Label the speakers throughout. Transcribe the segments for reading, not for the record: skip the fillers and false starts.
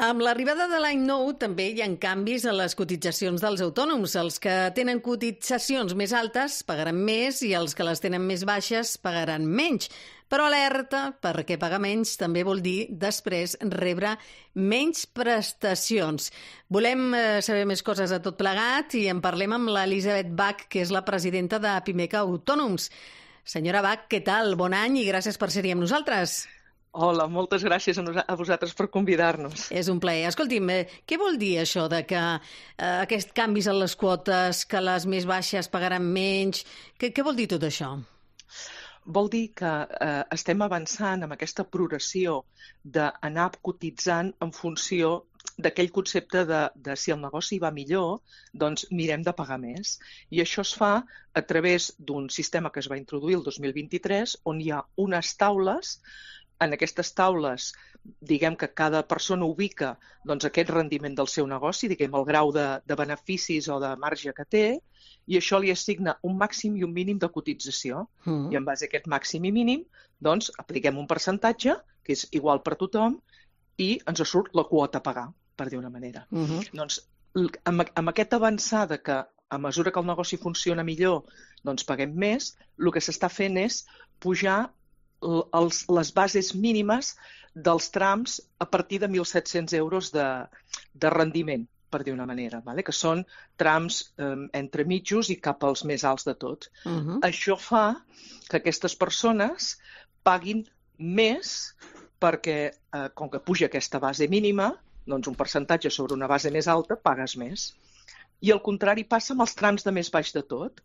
Speaker 1: Amb l'arribada de l'any nou també hi ha canvis a les cotitzacions dels autònoms. Els que tenen cotitzacions més altes pagaran més i els que les tenen més baixes pagaran menys. Però alerta, perquè pagar menys també vol dir després rebre menys prestacions. Volem saber més coses de tot plegat i en parlem amb l'Elisabet Bach, que és la presidenta de Pimec Autònoms. Senyora Bach, què tal? Bon any i gràcies per ser-hi amb nosaltres.
Speaker 2: Hola, moltes gràcies a vosaltres per convidar-nos.
Speaker 1: És un plaer. Escolti'm, què vol dir això de que aquests canvis en les quotes, que les més baixes pagaran menys? Què vol dir tot això?
Speaker 2: Vol dir que estem avançant amb aquesta progressió d'anar cotitzant en funció d'aquell concepte de si el negoci va millor, doncs mirem de pagar més. I això es fa a través d'un sistema que es va introduir el 2023, on hi ha unes taules. En aquestes taules, diguem que cada persona ubica doncs, aquest rendiment del seu negoci, diguem el grau de beneficis o de marge que té, i això li assigna un màxim i un mínim de cotització. I en base a aquest màxim i mínim, doncs, apliquem un percentatge, que és igual per tothom, i ens surt la quota a pagar, per dir una manera. Doncs, amb aquesta avançada que a mesura que el negoci funciona millor, doncs paguem més, el que s'està fent és pujar les bases mínimes dels trams a partir de 1.700 euros de rendiment, per dir una manera, que són trams entre mitjos i cap als més alts de tot. Això fa que aquestes persones paguin més perquè, com que puja aquesta base mínima, doncs un percentatge sobre una base més alta pagues més. I el contrari passa amb els trams de més baix de tot.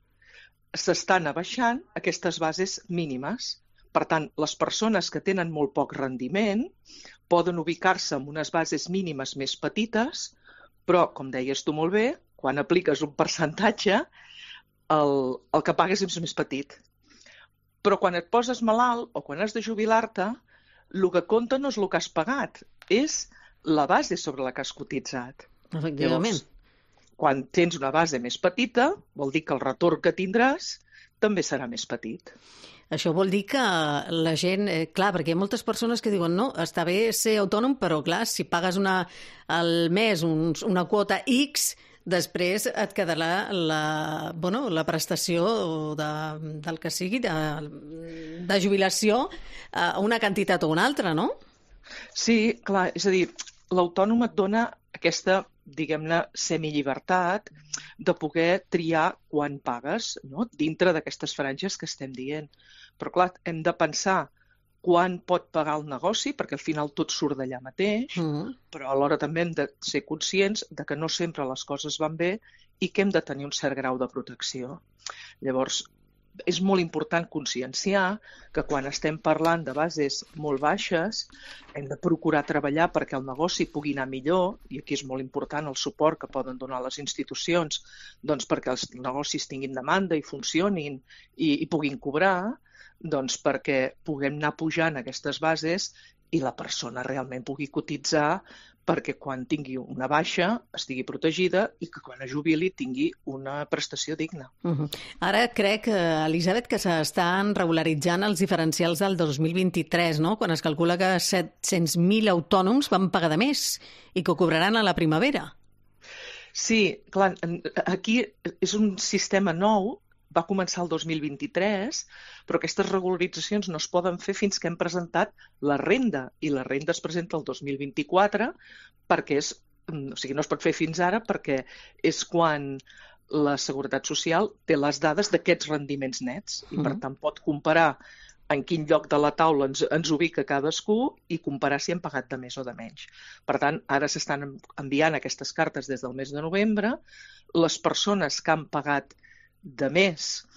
Speaker 2: S'estan abaixant aquestes bases mínimes. Per tant, les persones que tenen molt poc rendiment poden ubicar-se en unes bases mínimes més petites, però, com deies tu molt bé, quan apliques un percentatge, el que pagues és més petit. Però quan et poses malalt o quan has de jubilar-te, el que compta no és el que has pagat, és la base sobre la que has cotitzat.
Speaker 1: Efectivament.
Speaker 2: Llavors, quan tens una base més petita, vol dir que el retorn que tindràs també serà més petit.
Speaker 1: Això vol dir que la gent... Clar, perquè hi ha moltes persones que diuen no, està bé ser autònom, però clar, si pagues al mes una quota X, després et quedarà la prestació del que sigui, de jubilació, una quantitat o una altra, no?
Speaker 2: Sí, clar, és a dir, l'autònom et dona aquesta, diguem-ne, semillibertat de poder triar quan pagues, no? Dintre d'aquestes franges que estem dient. Però, clar, hem de pensar quan pot pagar el negoci, perquè al final tot surt d'allà mateix, però alhora també hem de ser conscients de que no sempre les coses van bé i que hem de tenir un cert grau de protecció. Llavors, és molt important conscienciar que quan estem parlant de bases molt baixes hem de procurar treballar perquè el negoci pugui anar millor, i aquí és molt important el suport que poden donar les institucions doncs perquè els negocis tinguin demanda i funcionin i puguin cobrar, doncs perquè puguem anar pujant aquestes bases i la persona realment pugui cotitzar perquè quan tingui una baixa estigui protegida i que quan es jubili tingui una prestació digna.
Speaker 1: Ara crec, Elisabet, que s'estan regularitzant els diferencials del 2023, no? Quan es calcula que 700.000 autònoms van pagar de més i que ho cobraran a la primavera.
Speaker 2: Sí, clar, aquí és un sistema nou, va començar el 2023, però aquestes regularitzacions no es poden fer fins que hem presentat la renda, i la renda es presenta el 2024 perquè no es pot fer fins ara perquè és quan la Seguretat Social té les dades d'aquests rendiments nets i per tant pot comparar en quin lloc de la taula ens ubica cadascú i comparar si hem pagat de més o de menys. Per tant, ara s'estan enviant aquestes cartes des del mes de novembre. Les persones que han pagat de més,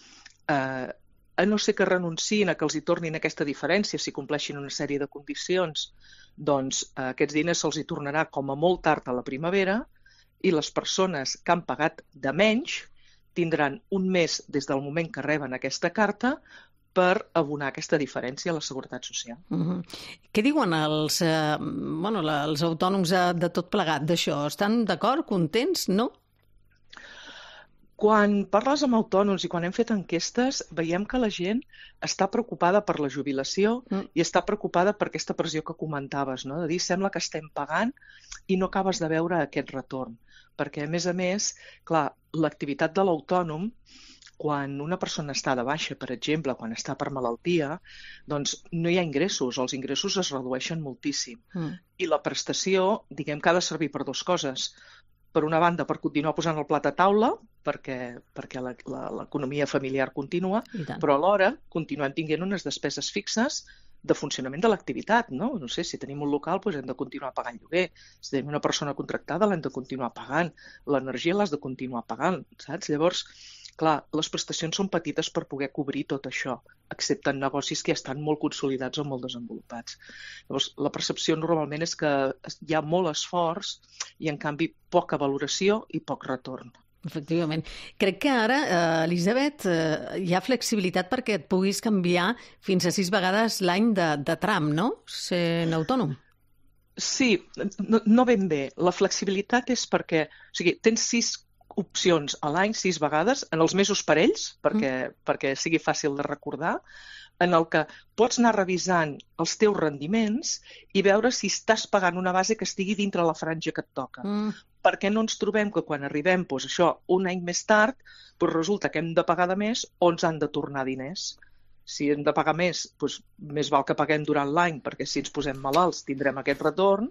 Speaker 2: a no ser que renunciïn a que els hi tornin aquesta diferència si compleixin una sèrie de condicions, doncs aquests diners se'ls hi tornarà com a molt tard a la primavera i les persones que han pagat de menys tindran un mes des del moment que reben aquesta carta per abonar aquesta diferència a la Seguretat Social.
Speaker 1: Què diuen els autònoms de tot plegat d'això? Estan d'acord, contents, no?
Speaker 2: Quan parles amb autònoms i quan hem fet enquestes, veiem que la gent està preocupada per la jubilació i està preocupada per aquesta pressió que comentaves, no? De dir, sembla que estem pagant i no acabes de veure aquest retorn. Perquè, a més, clar, l'activitat de l'autònom, quan una persona està de baixa, per exemple, quan està per malaltia, doncs no hi ha ingressos, els ingressos es redueixen moltíssim. I la prestació, diguem que ha de servir per dues coses. Per una banda, per continuar posant el plat a taula, perquè l'economia familiar continua, però alhora continuem tenint unes despeses fixes de funcionament de l'activitat, no? No sé, si tenim un local, doncs hem de continuar pagant lloguer. Si tenim una persona contractada, l'hem de continuar pagant. L'energia l'has de continuar pagant, saps? Llavors, clar, les prestacions són petites per poder cobrir tot això, excepte en negocis que ja estan molt consolidats o molt desenvolupats. Llavors, la percepció normalment és que hi ha molt esforç i, en canvi, poca valoració i poc retorn.
Speaker 1: Efectivament. Crec que ara, Elisabet, hi ha flexibilitat perquè et puguis canviar fins a 6 vegades l'any de tram, no? Sent autònom.
Speaker 2: Sí, no ben bé. La flexibilitat és perquè, o sigui, tens 6 opcions a l'any, 6 vegades, en els mesos parells, perquè sigui fàcil de recordar, en el que pots anar revisant els teus rendiments i veure si estàs pagant una base que estigui dintre la franja que et toca. Perquè no ens trobem que quan arribem, doncs això, un any més tard, doncs resulta que hem de pagar de més o ens han de tornar diners. Si hem de pagar més, doncs més val que paguem durant l'any, perquè si ens posem malalts tindrem aquest retorn,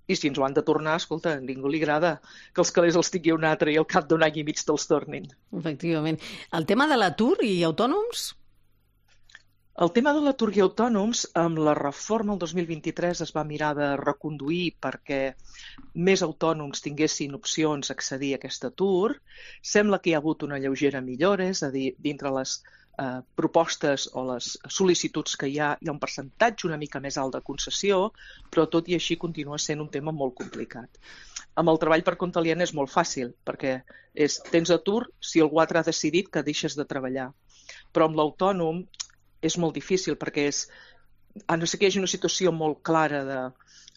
Speaker 2: i si ens ho han de tornar, escolta, a ningú li agrada que els calés els tingui un altre i al cap d'un any i mig te'ls tornin.
Speaker 1: Efectivament. El tema de l'atur i autònoms?
Speaker 2: El tema de l'atur i autònoms, amb la reforma el 2023 es va mirar de reconduir perquè més autònoms tinguessin opcions a accedir a aquest atur. Sembla que hi ha hagut una lleugera millora, és a dir, dintre les propostes o les sol·licituds que hi ha un percentatge una mica més alt de concessió, però tot i així continua sent un tema molt complicat. Amb el treball per compte aliè és molt fàcil, perquè tens atur si algú altre ha decidit que deixes de treballar. Però amb l'autònom és molt difícil perquè a no ser que hi hagi una situació molt clara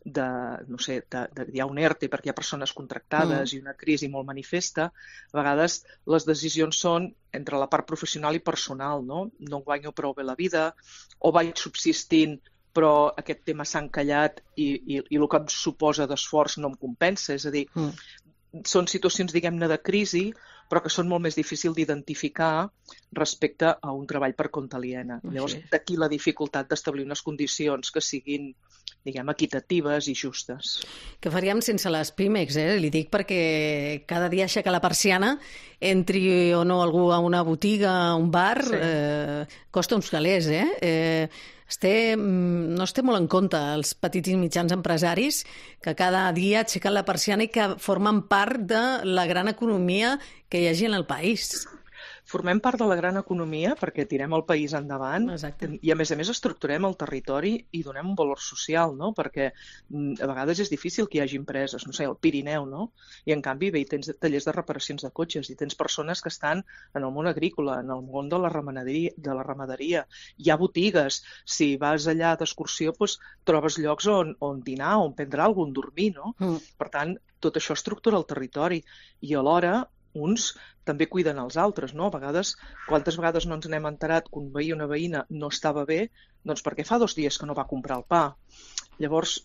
Speaker 2: no sé, hi ha un ERTE perquè hi ha persones contractades i una crisi molt manifesta, a vegades les decisions són entre la part professional i personal, no? No guanyo prou bé la vida, o vaig subsistint però aquest tema s'ha encallat i el que em suposa d'esforç no em compensa, és a dir, són situacions, diguem-ne, de crisi, però que són molt més difícils d'identificar respecte a un treball per compte aliena. Llavors, d'aquí la dificultat d'establir unes condicions que siguin, diguem, equitatives i justes.
Speaker 1: Que faríem sense les Pímex, Li dic perquè cada dia aixecar la persiana, entri o no algú a una botiga, a un bar, costa uns calés, no es té molt en compte els petits i mitjans empresaris que cada dia aixequen la persiana i que formen part de la gran economia que hi hagi en el país.
Speaker 2: Formem part de la gran economia perquè tirem el país endavant.
Speaker 1: Exacte.
Speaker 2: I, a més, estructurem el territori i donem un valor social, no? Perquè a vegades és difícil que hi hagi empreses, no sé, al Pirineu, no? I, en canvi, tens tallers de reparacions de cotxes i tens persones que estan en el món agrícola, en el món de la ramaderia. Hi ha botigues. Si vas allà d'excursió, doncs, trobes llocs on dinar, on prendre alguna cosa, on dormir, no? Per tant, tot això estructura el territori i alhora uns també cuiden els altres, no? Quantes vegades no ens n'hem enterat que un veí o una veïna no estava bé, doncs perquè fa 2 dies que no va comprar el pa. Llavors,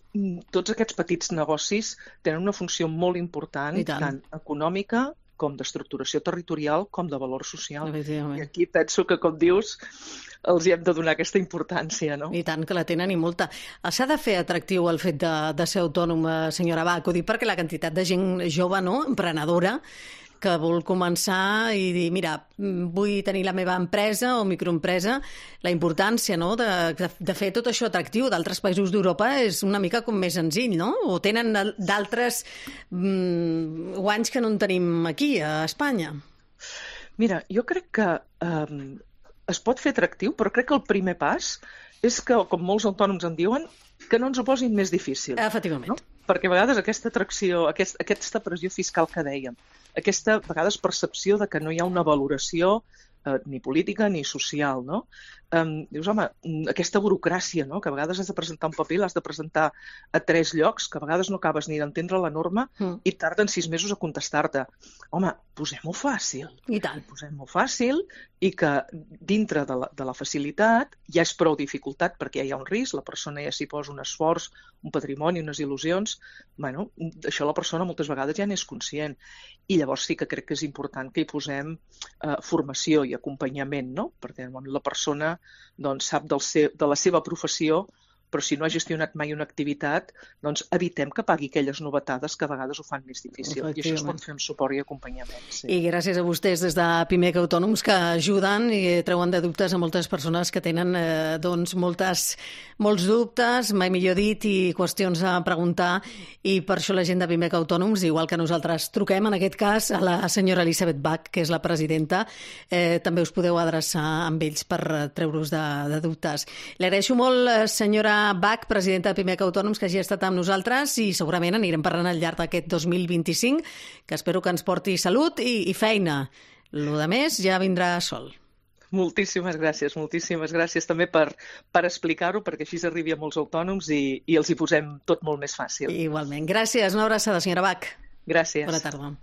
Speaker 2: tots aquests petits negocis tenen una funció molt important, tant econòmica com d'estructuració territorial, com de valor social. I aquí penso que, com dius, els hi hem de donar aquesta importància, no?
Speaker 1: I tant, que la tenen i molta. S'ha de fer atractiu el fet de ser autònoma, senyora Bach, ho dic perquè la quantitat de gent jove, no?, emprenedora, que vol començar i dir, mira, vull tenir la meva empresa o microempresa, la importància, no?, de fer tot això atractiu. D'altres països d'Europa és una mica com més senzill, no? O tenen d'altres guanys que no en tenim aquí, a Espanya.
Speaker 2: Mira, jo crec que es pot fer atractiu, però crec que el primer pas és que, com molts autònoms en diuen, que no ens ho posin més difícil.
Speaker 1: Efectivament.
Speaker 2: No? Perquè a vegades aquesta atracció, aquesta pressió fiscal que dèiem, aquesta, a vegades, percepció de que no hi ha una valoració ni política ni social, no? Dius, home, aquesta burocràcia, no? Que a vegades has de presentar un paper, l'has de presentar a 3 llocs, que a vegades no acabes ni d'entendre la norma i tarden 6 mesos a contestar-te. Home, posem-ho fàcil.
Speaker 1: I tant.
Speaker 2: Posem-ho fàcil i que dintre de la facilitat ja és prou dificultat perquè ja hi ha un risc, la persona ja s'hi posa un esforç, un patrimoni, unes il·lusions. Bueno, això la persona moltes vegades ja n'és conscient. I llavors sí que crec que és important que hi posem formació i acompanyament, no? Perquè la persona doncs, sap de la seva professió, però si no ha gestionat mai una activitat, doncs evitem que pagui aquelles novetades que a vegades ho fan més difícil. I això es pot fer amb suport i acompanyament. Sí.
Speaker 1: I gràcies a vostès des de Pimec Autònoms que ajuden i treuen de dubtes a moltes persones que tenen doncs, molts dubtes, mai millor dit, i qüestions a preguntar. I per això la gent de Pimec Autònoms, igual que nosaltres truquem, en aquest cas, a la senyora Elisabeth Bach, que és la presidenta, també us podeu adreçar amb ells per treure-us de dubtes. Li agraeixo molt, senyora Bach, presidenta de Pimec Autònoms, que hagi estat amb nosaltres i segurament anirem parlant al llarg d'aquest 2025, que espero que ens porti salut i feina. Lo de més ja vindrà sol.
Speaker 2: Moltíssimes gràcies també per explicar-ho, perquè així arribi a molts autònoms i els hi posem tot molt més fàcil.
Speaker 1: Igualment. Gràcies. Una abraçada, senyora Bach.
Speaker 2: Gràcies.
Speaker 1: Bona tarda.